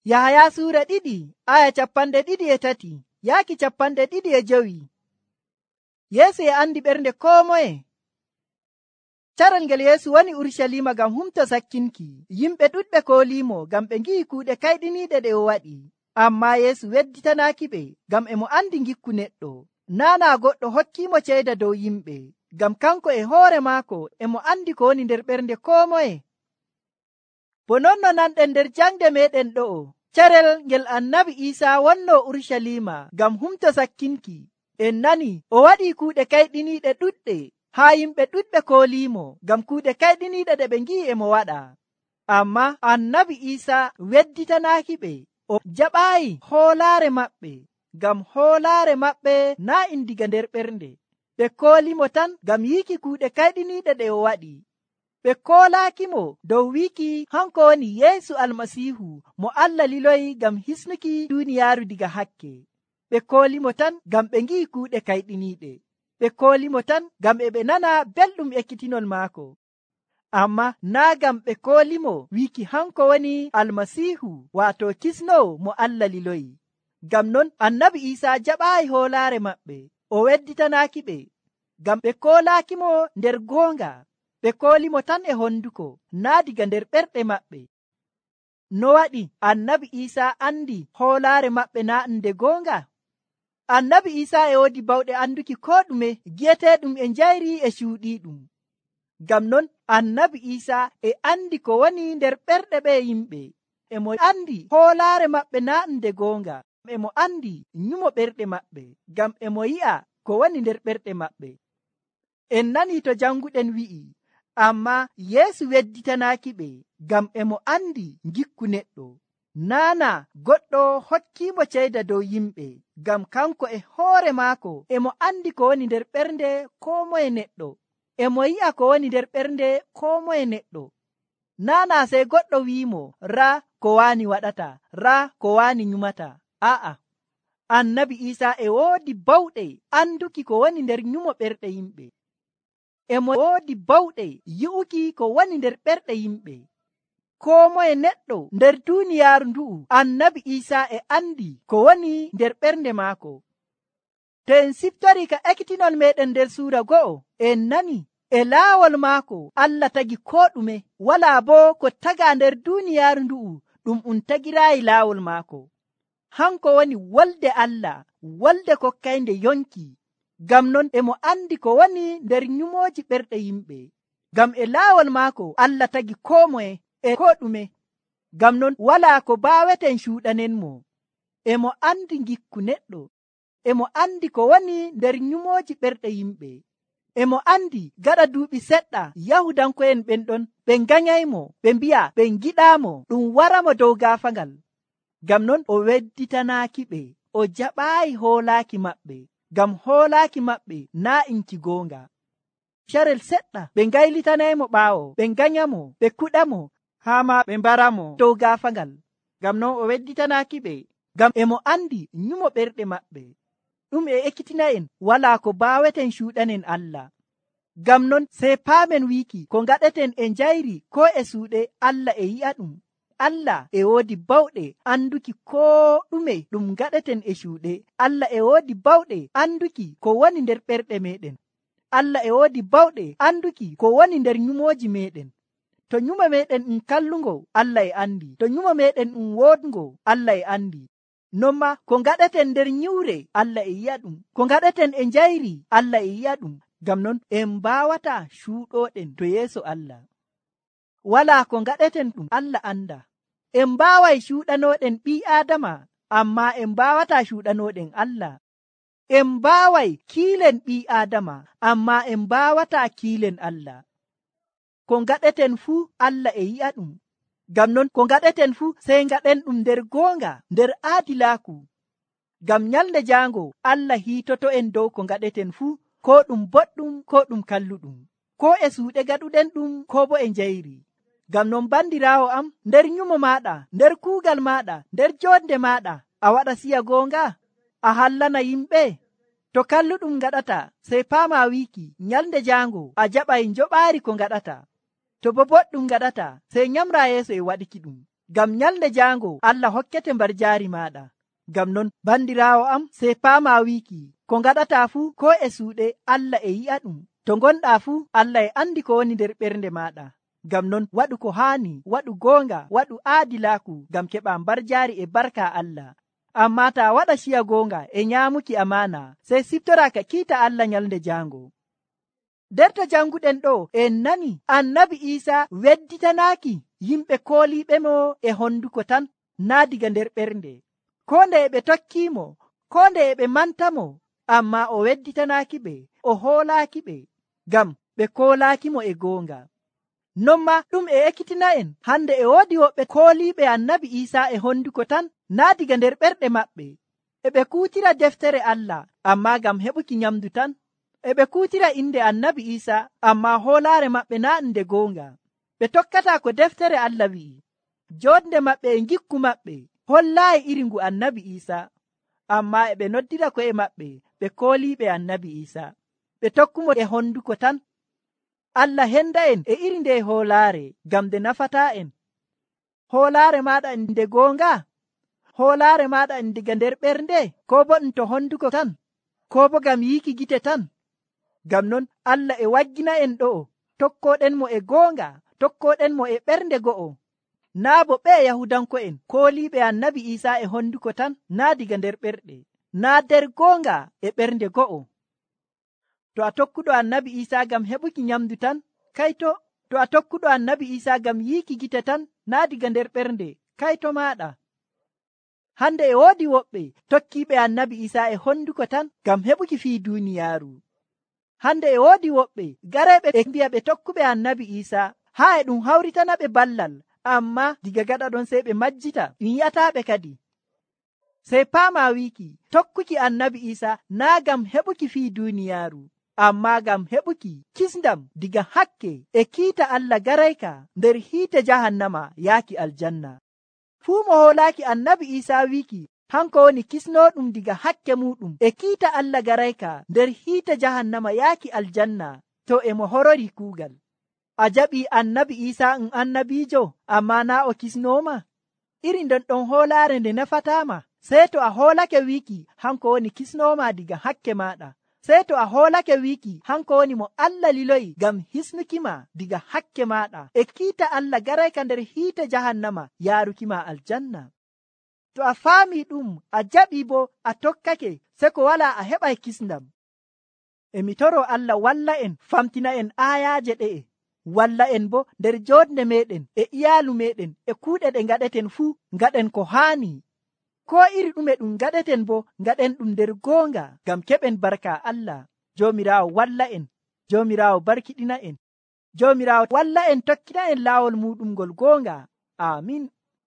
Yahaya suura 2 aya 23 yaaki 25. Yeesu e andi ɓernde koo moye. Caral ngel Yeesu woni Urusalima ngam humto sakkinki, yimɓe ɗuɗɓe kooliimo ngam ɓe ngi'i kuuɗe kayɗiniiɗe ɗe o waɗi. Ammaa Yeesu wedditanaaki ɓe, ngam e mo andi ngikku neɗɗo. Naanaa goɗɗo hokkiimo ceyda dow yimɓe, ngam kanko e hoore maako e mo andi ko woni nder ɓernde koo moye. Bo non no nanɗen nder jangde meeɗen ɗo'o, carel ngel annabi Iisaa wonnoo Urusalima ngam humto sakkinki. En nani o waɗii kuuɗe kayɗiniiɗe ɗuɗɗe, haa yimɓe ɗuɗɓe kooliimo ngam kuuɗe kayɗiniiɗe ɗe ɓe ngi'i e mo waɗa. Ammaa annabi Iisaa wedditanaaki ɓe. O jaɓaayi hoolaare maɓɓe, ngam hoolaare maɓɓe naa' diga nder ɓernde. Ɓe koolimo tan ngam yiiki kuuɗe kayɗiniiɗe ɗe o waɗi. Ɓe koolaakimo dow wiiki hanko woni Yeesu Almasiihu mo Allah liloyi ngam hisnuki duuniyaaru diga hakke. Ɓe koolimo tan ngam ɓe ngi'i kuuɗe kayɗiniiɗe. Ɓe koolimo tan ngam ɓe nana belɗum ekkitinol maako. Amma naa ngam ɓe koolimo wiiki hanko woni Almasiihu, waato kisnowo mo Allah liloyi. Ngam non annabi Iisaa jaɓaayi hoolaare maɓɓe. O wedditanaaki ɓe, ngam ɓe koolaakimo nder goonga. Ɓe koolimo tan e honduko, naa diga nder ɓerɗe maɓɓe. No waɗi annabi Iisaa andi hoolaare maɓɓe naa nde goonga? Annabi Iisaa e woodi bawɗe anduki koo ɗume gi'eteeɗum e njayri e cuuɗiiɗum. Ngam non annabi Iisaa e andi ko woni nder ɓerɗe ɓe yimɓe. E mo andi hoolaare maɓɓe naa nde goonga. E mo andi nyumo ɓerɗe maɓɓe, ngam e mo yi'a ko woni nder ɓerɗe maɓɓe. En nani to janguɗen wi'i, ammaa Yeesu wedditanaaki ɓe, ngam e mo andi ngikku neɗɗo. Naana goɗɗo hokkiimo ceyda dow yimɓe, ngam kanko e hoore maako e mo andi ko woni nder ɓernde koo moye neɗɗo. E mo yi'a ko woni nder ɓernde koo moye neɗɗo. Naana sey goɗɗo wi'imo raa ko waani waɗata, raa ko waani nyumata. Aa'a, annabi Iisaa e woodi bawɗe anduki ko woni nder nyumo ɓerɗe yimɓe. E mo woodi bawɗe yi'uki ko woni nder ɓerɗe yimɓe. Koo moye neɗɗo nder duuniyaaru ndu'u, annabi Iisaa e andi ko woni nder ɓernde maako. To en siftori ka ekkitinol meɗen nder suura 1, en nani e laawol maako Allah tagi koo ɗume, walaa boo ko tagaa nder duuniyaaru ndu'u ɗum tagiraayi laawol maako. Hanko woni wolde Allah, wolde kokkaynde yonki. Ngam non e mo andi ko woni nder nyumooji ɓerɗe yimɓe. Ngam e laawol maako Allah tagi koo moye e koo ɗume. Ngam non walaa ko baaweten cuuɗanenmo. E mo andi ngikku neɗɗo. E mo andi ko woni nder nyumooji ɓerɗe yimɓe. E mo andi gaɗa duuɓi seɗɗa Yahudanko'en ɓen ɗon ɓe nganyaymo, ɓe mbi'a ɓe ngiɗaamo ɗum waramo dow gaafagal. Ngam non o wedditanaaki ɓe, o jaɓaayi hoolaaki maɓɓe, ngam hoolaaki maɓɓe naa inki goonga. Carel seɗɗa ɓe ngaylitanaymo ɓaawo, ɓe nganyamo, ɓe kuɗamo, haa ma ɓe mbaramo dow gaafagal. Ngam non o wedditanaaki ɓe, ngam e mo andi nyumo ɓerɗe maɓɓe. Ɗum e ekkitina'en walaa ko baaweten cuuɗanen Allah. Ngam non sey paamen wiiki ko ngaɗeten e njayri koo e suuɗe Allah e yi'a ɗum. Allah e woodi bawɗe anduki koo ɗume ɗum ngaɗeten e cuuɗe. Allah e woodi bawɗe anduki ko woni nder ɓerɗe meɗen. Allah e woodi bawɗe anduki ko woni nder nyumooji meɗen. To nyumo meɗen kallungo, Allah e andi. To nyumo meɗen woodungo, Allah e andi. Non ma ko ngaɗeten nder nyiwre, Allah e yi'a ɗum. Ko ngaɗeten e njayri, Allah e yi'a ɗum. Ngam non en mbaawata cuuɗoɗen to yeeso Allah. Walaa ko ngaɗeten ɗum Allah anda. En mbaaway cuuɗanoɗen ɓii Aadama, ammaa en mbaawata cuuɗanoɗen Allah. En mbaaway kiilen ɓii Aadama, ammaa en mbaawata kiilen Allah. Ko ngaɗeten fuu Allah e yi'a ɗum. Ngam non ko ngaɗeten fuu sey ngaɗen ɗum nder goonga, nder aadilaaku. Ngam nyalnde jaango Allah hiitoto en dow ko ngaɗeten fuu, ko ɗum boɗɗum ko ɗum kalluɗum, ko e suuɗe gaɗuɗen ɗum ko bo e njayri. Ngam non bandiraawo am, nder nyumo maaɗa, nder kuugal maaɗa, nder joonde maaɗa, a waɗa siya goonga? A hallana yimɓe? To kalluɗum ngaɗata, sey paama wiiki nyalnde jaango a jaɓay njoɓaari ko ngaɗata. To bo boɗɗum ngaɗata, sey nyamra yeeso e waɗiki ɗum. ngam nyalde jaango Allah hokkete mbar jaari maɗa. Ngam non bandiraawo am, sey paama wiiki ko ngaɗata fuu ko e suuɗe Allah e yi'a ɗum. To gonɗaa fuu Allah e andi ko woni nder ɓernde maɗa. Ngam non waɗu ko haani, waɗu goonga, waɗu aadilaaku ngam keɓa mbar jaari e barka Allah. Amma ta waɗa ciya goonga e nyaamuki amaana, sey siftora ka kiita Allah nyalde jaango. Nder to janguɗen ɗo en nani annabi Iisa wedditanaaki yimɓe kooliiɓe mo e honduko tan, naa diga nder ɓernde. Ko nde ɓe tokkiimo, ko nde ɓe mantamo, amma o wedditanaaki ɓe, o hoolaaki ɓe, ngam ɓe koolaaki mo e goonga. Non ma ɗum e ekkitina en hande e woodi woɓɓe kooliiɓe annabi Iisa e honduko tan, naa diga nder ɓerɗe maɓɓe. E ɓe kuutira deftere Allah, amma ngam heɓuki nyamdu tan. E ɓe kuutira inde annabi Iisa, amma hoolaare maɓɓe naa nde goonga. Ɓe tokkata ko deftere Allah wi'i. Joodde maɓɓe e ngikku maɓɓe hollaayi iri ngu annabi Iisa, amma e ɓe noddira ko'e maɓɓe ɓe kooliiɓe annabi Iisa. Ɓe tokkumo e honduko tan. Allah henda en e iri nde hoolaare ngam nde nafataa en. Hoolaare maaɗa nde goonga? Hoolaare maaɗa diga nder ɓernde, ko bo ɗum to honduko tan, ko bo ngam yiiki gite tan? Ngam non Allah e waggina en ɗo'o, tokkoɗen mo e goonga, tokkoɗen mo e ɓernde go'o. Naa bo ɓe Yahudanko'en kooliiɓe annabi Iisa e honduko tan, naa diga nder ɓerɗe, naa nder goonga e ɓernde go'o. To a tokkuɗo annabi Iisa ngam heɓuki nyamdu tan, kayto. To a tokkuɗo annabi Iisa ngam yiiki gite tan, naa diga nder ɓernde, kayto maaɗa. Hande e woodi woɓɓe tokkiiɓe annabi Iisa e honduko tan ngam heɓuki fii duuniyaaru. Hande e woodi woɓɓe gareeɓe ɓe mbi'a ɓe tokkuɓe annabi Iisa, haa e ɗum hawritana ɓe ballal, amma diga gaɗa ɗon sey ɓe majjita, ɗum yi'ataaɓe kadi. Sey paama wiiki tokkuki annabi Iisa naa ngam heɓuki fii duuniyaaru, amma ngam heɓuki kisndam diga hakke e kiita Allah garayka nder hiite jahannama yaaki aljanna. Fuu mo hoolaaki annabi Iisa wiiki hanko woni kisnooɗum diga hakke muɗum e kiita Allah garayka nder hiite jahannama yaaki aljanna, to e mo horori kuugal. A jaɓii annabi Iisa annabiijo, amma naa o kisnooma? Iri nden ɗon hoolaare nde nafataama. Sey to a hoolake wiiki hanko woni kisnooma diga hakke maaɗa. Sey to a hoolake wiiki hanko woni mo Allah liloyi ngam hisnukima diga hakke maaɗa e kiita Allah garayka nder hiite jahannama yaarukima aljanna. To a faami ɗum, a jaɓii bo a tokkake, se ko wala a heɓay kisndam. E mi toro Allah walla en famtina en aayaaje ɗe'e, walla en bo nder joodde meɗen e iyaalu meɗen e kuuɗe ɗe ngaɗeten fuu ngaɗen ko haani. Ko iri ɗume ɗum ngaɗeten bo ngaɗen ɗum nder goonga ngam keɓen barka Allah. Joomiraawo walla en, Joomiraawo barkiɗina en, Joomiraawo walla en tokkina en laawol muɗum ngol goonga. Amin.